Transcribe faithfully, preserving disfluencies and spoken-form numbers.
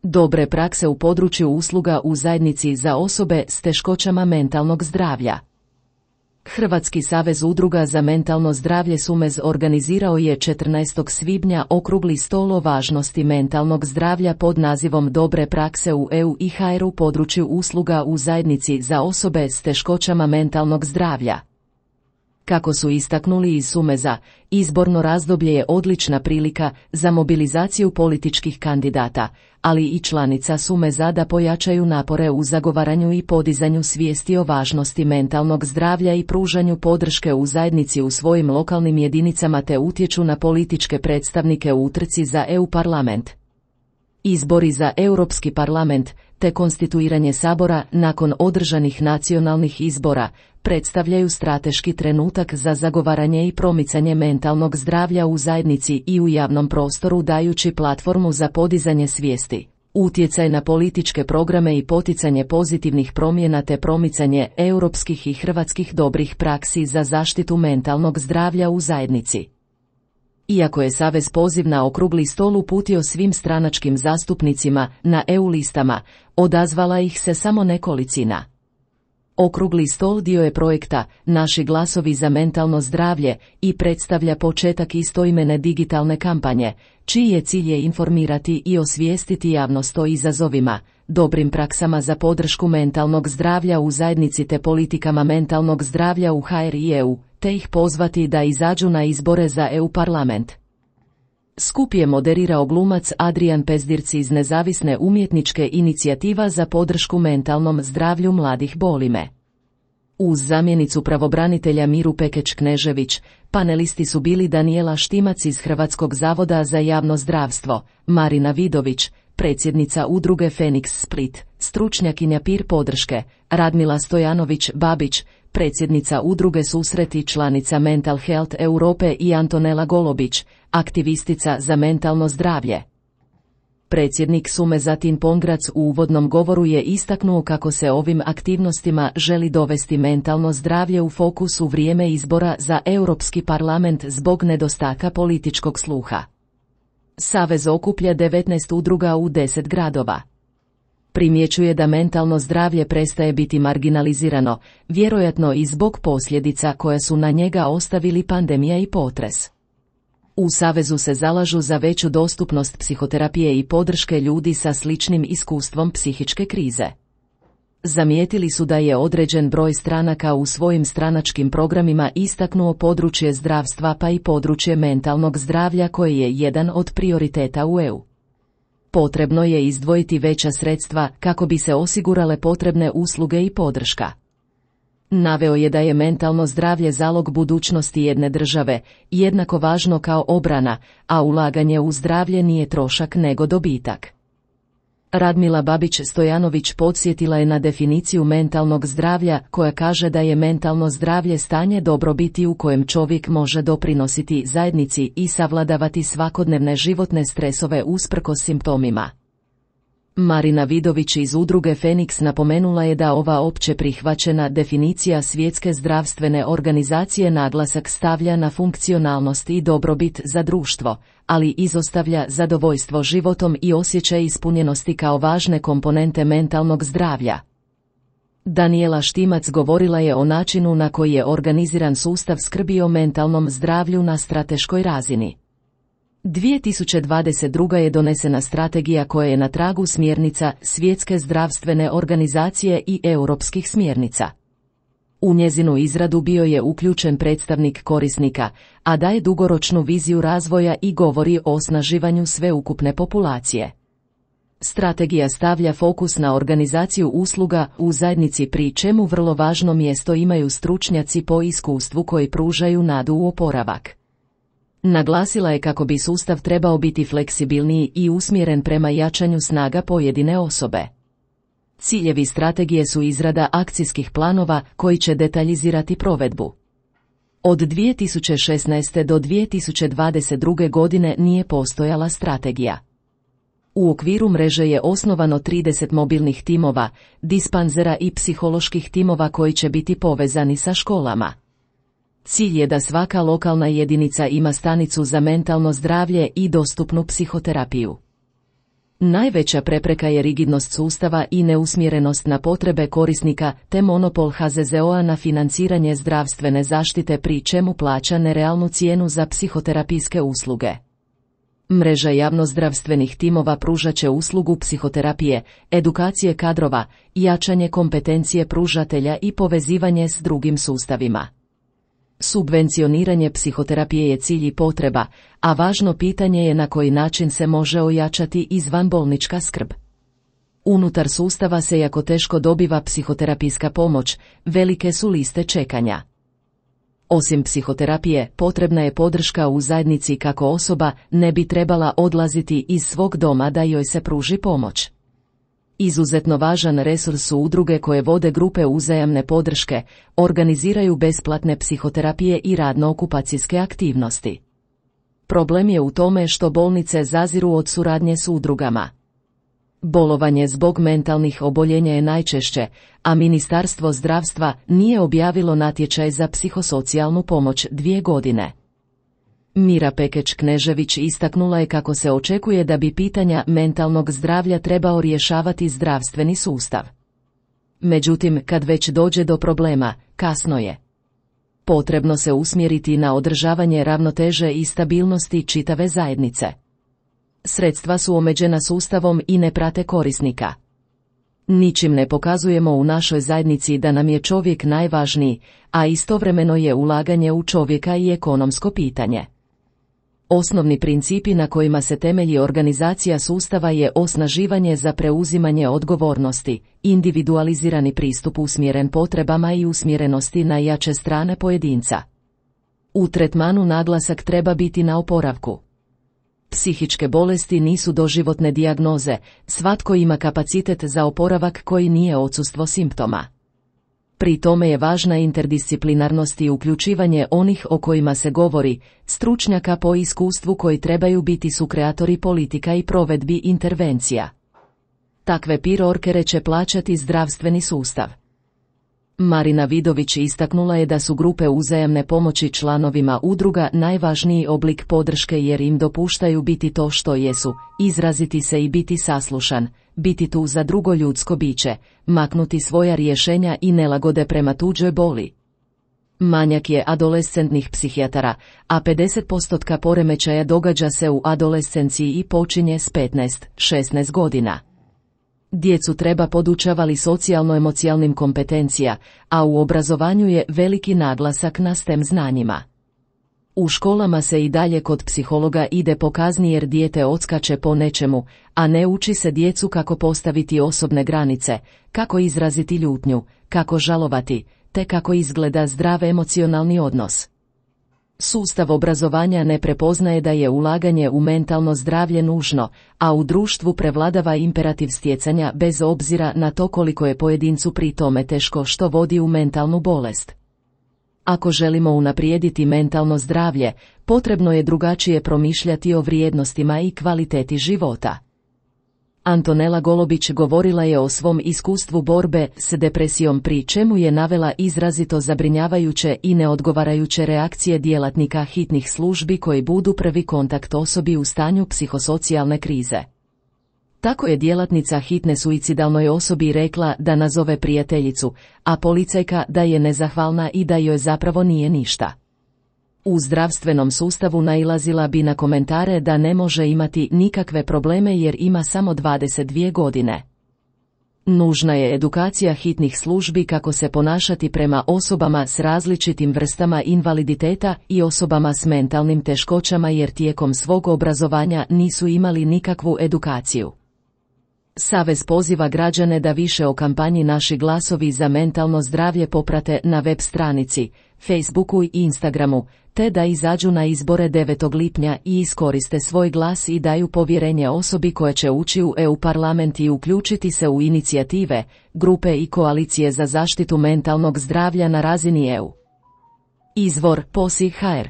Dobre prakse u području usluga u zajednici za osobe s teškoćama mentalnog zdravlja. Hrvatski savez udruga za mentalno zdravlje SUMEZ organizirao je četrnaestog svibnja okrugli stol o važnosti mentalnog zdravlja pod nazivom Dobre prakse u E U i H R u području usluga u zajednici za osobe s teškoćama mentalnog zdravlja. Kako su istaknuli iz SUMEZ-a, izborno razdoblje je odlična prilika za mobilizaciju političkih kandidata, ali i članica SUMEZ-a da pojačaju napore u zagovaranju i podizanju svijesti o važnosti mentalnog zdravlja i pružanju podrške u zajednici u svojim lokalnim jedinicama te utječu na političke predstavnike u utrci za E U parlament. Izbori za Europski parlament te konstituiranje Sabora nakon održanih nacionalnih izbora predstavljaju strateški trenutak za zagovaranje i promicanje mentalnog zdravlja u zajednici i u javnom prostoru dajući platformu za podizanje svijesti, utjecaj na političke programe i poticanje pozitivnih promjena te promicanje europskih i hrvatskih dobrih praksi za zaštitu mentalnog zdravlja u zajednici. Iako je Savez poziv na okrugli stol uputio svim stranačkim zastupnicima na E U listama, odazvala ih se samo nekolicina. Okrugli stol dio je projekta Naši glasovi za mentalno zdravlje i predstavlja početak istoimene digitalne kampanje, čiji je cilj je informirati i osvijestiti javnost o izazovima, dobrim praksama za podršku mentalnog zdravlja u zajednici te politikama mentalnog zdravlja u H R i E U, te ih pozvati da izađu na izbore za E U parlament. Skup je moderirao glumac Adrian Pezdirci iz nezavisne umjetničke inicijativa za podršku mentalnom zdravlju mladih Bolime. Uz zamjenicu pravobranitelja Miru Pekeć-Knežević, panelisti su bili Danijela Štimac iz Hrvatskog zavoda za javno zdravstvo, Marina Vidović, predsjednica udruge Feniks Split, stručnjakinja peer podrške, Radmila Stojanović-Babić, predsjednica udruge Susret i članica Mental Health Europe i Antonela Golobić, aktivistica za mentalno zdravlje. Predsjednik SUMEZ-a Tin Pongrac u uvodnom govoru je istaknuo kako se ovim aktivnostima želi dovesti mentalno zdravlje u fokus u vrijeme izbora za Europski parlament zbog nedostatka političkog sluha. Savez okuplja devetnaest udruga u deset gradova. Primjećuje da mentalno zdravlje prestaje biti marginalizirano, vjerojatno i zbog posljedica koje su na njega ostavili pandemija i potres. U Savezu se zalažu za veću dostupnost psihoterapije i podrške ljudi sa sličnim iskustvom psihičke krize. Zamijetili su da je određen broj stranaka u svojim stranačkim programima istaknuo područje zdravstva pa i područje mentalnog zdravlja koje je jedan od prioriteta u E U. Potrebno je izdvojiti veća sredstva kako bi se osigurale potrebne usluge i podrška. Naveo je da je mentalno zdravlje zalog budućnosti jedne države, jednako važno kao obrana, a ulaganje u zdravlje nije trošak nego dobitak. Radmila Babić-Stojanović podsjetila je na definiciju mentalnog zdravlja koja kaže da je mentalno zdravlje stanje dobrobiti u kojem čovjek može doprinositi zajednici i savladavati svakodnevne životne stresove usprkos simptomima. Marina Vidović iz udruge Feniks napomenula je da ova opće prihvaćena definicija Svjetske zdravstvene organizacije naglasak stavlja na funkcionalnost i dobrobit za društvo, ali izostavlja zadovoljstvo životom i osjećaj ispunjenosti kao važne komponente mentalnog zdravlja. Danijela Štimac govorila je o načinu na koji je organiziran sustav skrbi o mentalnom zdravlju na strateškoj razini. dvije tisuće dvadeset druge. je donesena strategija koja je na tragu smjernica Svjetske zdravstvene organizacije i europskih smjernica. U njezinu izradu bio je uključen predstavnik korisnika, a daje dugoročnu viziju razvoja i govori o osnaživanju sveukupne populacije. Strategija stavlja fokus na organizaciju usluga u zajednici pri čemu vrlo važno mjesto imaju stručnjaci po iskustvu koji pružaju nadu u oporavak. Naglasila je kako bi sustav trebao biti fleksibilniji i usmjeren prema jačanju snaga pojedine osobe. Ciljevi strategije su izrada akcijskih planova koji će detaljizirati provedbu. Od dvije tisuće šesnaeste. do dvije tisuće dvadeset druge. godine nije postojala strategija. U okviru mreže je osnovano trideset mobilnih timova, dispanzera i psiholoških timova koji će biti povezani sa školama. Cilj je da svaka lokalna jedinica ima stanicu za mentalno zdravlje i dostupnu psihoterapiju. Najveća prepreka je rigidnost sustava i neusmjerenost na potrebe korisnika te monopol H Z Z O-a na financiranje zdravstvene zaštite pri čemu plaća nerealnu cijenu za psihoterapijske usluge. Mreža javnozdravstvenih timova pružat će uslugu psihoterapije, edukacije kadrova, jačanje kompetencije pružatelja i povezivanje s drugim sustavima. Subvencioniranje psihoterapije je cilj i potreba, a važno pitanje je na koji način se može ojačati izvanbolnička skrb. Unutar sustava se jako teško dobiva psihoterapijska pomoć, velike su liste čekanja. Osim psihoterapije, potrebna je podrška u zajednici kako osoba ne bi trebala odlaziti iz svog doma da joj se pruži pomoć. Izuzetno važan resurs su udruge koje vode grupe uzajamne podrške, organiziraju besplatne psihoterapije i radno-okupacijske aktivnosti. Problem je u tome što bolnice zaziru od suradnje s udrugama. Bolovanje zbog mentalnih oboljenja je najčešće, a Ministarstvo zdravstva nije objavilo natječaj za psihosocijalnu pomoć dvije godine. Mira Pekeć-Knežević istaknula je kako se očekuje da bi pitanja mentalnog zdravlja trebao rješavati zdravstveni sustav. Međutim, kad već dođe do problema, kasno je. Potrebno se usmjeriti na održavanje ravnoteže i stabilnosti čitave zajednice. Sredstva su omeđena sustavom i ne prate korisnika. Ničim ne pokazujemo u našoj zajednici da nam je čovjek najvažniji, a istovremeno je ulaganje u čovjeka i ekonomsko pitanje. Osnovni principi na kojima se temelji organizacija sustava je osnaživanje za preuzimanje odgovornosti, individualizirani pristup usmjeren potrebama i usmjerenosti na jače strane pojedinca. U tretmanu naglasak treba biti na oporavku. Psihičke bolesti nisu doživotne dijagnoze, svatko ima kapacitet za oporavak koji nije odsustvo simptoma. Pri tome je važna interdisciplinarnost i uključivanje onih o kojima se govori, stručnjaka po iskustvu koji trebaju biti sukreatori politika i provedbi intervencija. Takve pirorkere će plaćati zdravstveni sustav. Marina Vidović istaknula je da su grupe uzajamne pomoći članovima udruga najvažniji oblik podrške jer im dopuštaju biti to što jesu, izraziti se i biti saslušan, biti tu za drugo ljudsko biće, maknuti svoja rješenja i nelagode prema tuđoj boli. Manjak je adolescentnih psihijatara, a pedeset posto poremećaja događa se u adolescenciji i počinje s petnaest do šesnaest godina. Djecu treba podučavati socijalno-emocijalnim kompetencija, a u obrazovanju je veliki naglasak na STEM znanjima. U školama se i dalje kod psihologa ide po kazni jer dijete odskače po nečemu, a ne uči se djecu kako postaviti osobne granice, kako izraziti ljutnju, kako žalovati, te kako izgleda zdrav emocionalni odnos. Sustav obrazovanja ne prepoznaje da je ulaganje u mentalno zdravlje nužno, a u društvu prevladava imperativ stjecanja bez obzira na to koliko je pojedincu pri tome teško što vodi u mentalnu bolest. Ako želimo unaprijediti mentalno zdravlje, potrebno je drugačije promišljati o vrijednostima i kvaliteti života. Antonela Golobić govorila je o svom iskustvu borbe s depresijom pri čemu je navela izrazito zabrinjavajuće i neodgovarajuće reakcije djelatnika hitnih službi koji budu prvi kontakt osobi u stanju psihosocijalne krize. Tako je djelatnica hitne suicidalnoj osobi rekla da nazove prijateljicu, a policajka da je nezahvalna i da joj zapravo nije ništa. U zdravstvenom sustavu nailazila bi na komentare da ne može imati nikakve probleme jer ima samo dvadeset dvije godine. Nužna je edukacija hitnih službi kako se ponašati prema osobama s različitim vrstama invaliditeta i osobama s mentalnim teškoćama jer tijekom svog obrazovanja nisu imali nikakvu edukaciju. Savez poziva građane da više o kampanji Naši glasovi za mentalno zdravlje poprate na web stranici, Facebooku i Instagramu, te da izađu na izbore devetog lipnja i iskoriste svoj glas i daju povjerenje osobi koja će ući u E U parlament i uključiti se u inicijative, grupe i koalicije za zaštitu mentalnog zdravlja na razini E U. Izvor P O S I точка hr